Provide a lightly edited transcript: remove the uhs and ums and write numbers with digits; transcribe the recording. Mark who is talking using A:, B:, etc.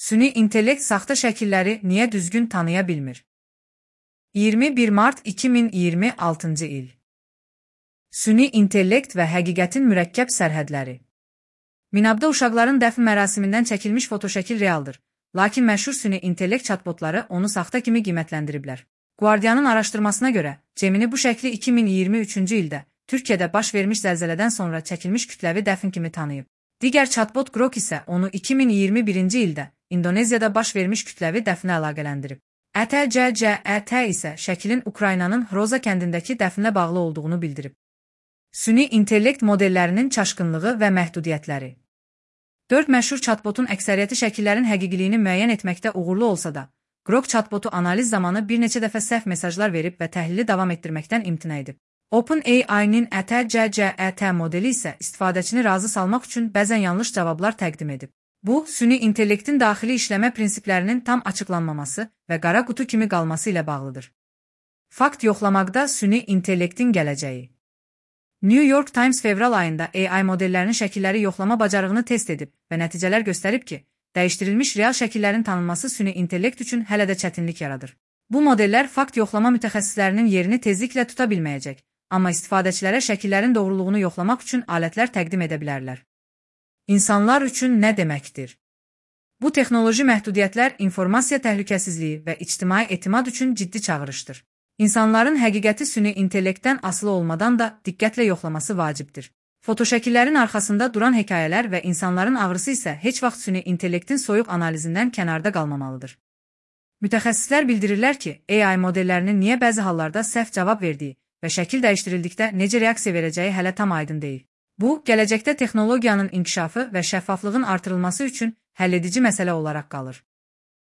A: Süni intellekt saxta şəkilləri niyə düzgün tanıya bilmir? 21 mart 2026-cı il. Süni intellekt və həqiqətin mürəkkəb sərhədləri. Minabda uşaqların dəfn mərasimindən çəkilmiş fotoşəkil realdır, lakin məşhur süni intellekt chatbotları onu saxta kimi qiymətləndiriblər. Guardianın araşdırmasına görə, Gemini bu şəkli 2023-cü ildə Türkiyədə baş vermiş zəlzələdən sonra çəkilmiş kütləvi dəfn kimi tanıyıb. Digər chatbot Grok isə onu 2021-ci ildə İndoneziyada baş vermiş kütləvi dəfnə əlaqələndirib. ETCCET isə şəklin Ukraynanın Hroza kəndindəki dəfnlə bağlı olduğunu bildirib. Süni intellekt modellərinin çaşqınlığı və məhdudiyyətləri. 4 məşhur chatbotun əksəriyyəti şəkillərin həqiqiliyini müəyyən etməkdə uğurlu olsa da, Grok chatbotu analiz zamanı bir neçə dəfə səhv mesajlar verib və təhlili davam etdirməkdən imtina edib. OpenAI-nin ETCCET modeli isə istifadəçini razı salmaq üçün bəzən yanlış cavablar təqdim edib. Bu, süni intellektin daxili işləmə prinsiplərinin tam açıqlanmaması və qara qutu kimi qalması ilə bağlıdır. Fakt yoxlamaqda süni intellektin gələcəyi. New York Times fevral ayında AI modellərinin şəkilləri yoxlama bacarığını test edib və nəticələr göstərib ki, dəyişdirilmiş real şəkillərin tanınması süni intellekt üçün hələ də çətinlik yaradır. Bu modellər fakt yoxlama mütəxəssislərinin yerini tezliklə tuta bilməyəcək, amma istifadəçilərə şəkillərin doğruluğunu yoxlamaq üçün alətlər təqdim edə bilərlər. İnsanlar üçün nə deməkdir? Bu texnoloji məhdudiyyətlər informasiya təhlükəsizliyi və ictimai etimad üçün ciddi çağırışdır. İnsanların həqiqəti süni intellektdən asılı olmadan da diqqətlə yoxlaması vacibdir. Fotoşəkillərin arxasında duran hekayələr və insanların ağrısı isə heç vaxt süni intellektin soyuq analizindən kənarda qalmamalıdır. Mütəxəssislər bildirirlər ki, AI modellərinin niyə bəzi hallarda səhv cavab verdiyi və şəkil dəyişdirildikdə necə reaksiya verəcəyi hələ tam aydın deyil. Bu, gələcəkdə texnologiyanın inkişafı və şəffaflığın artırılması üçün həlledici məsələ olaraq qalır.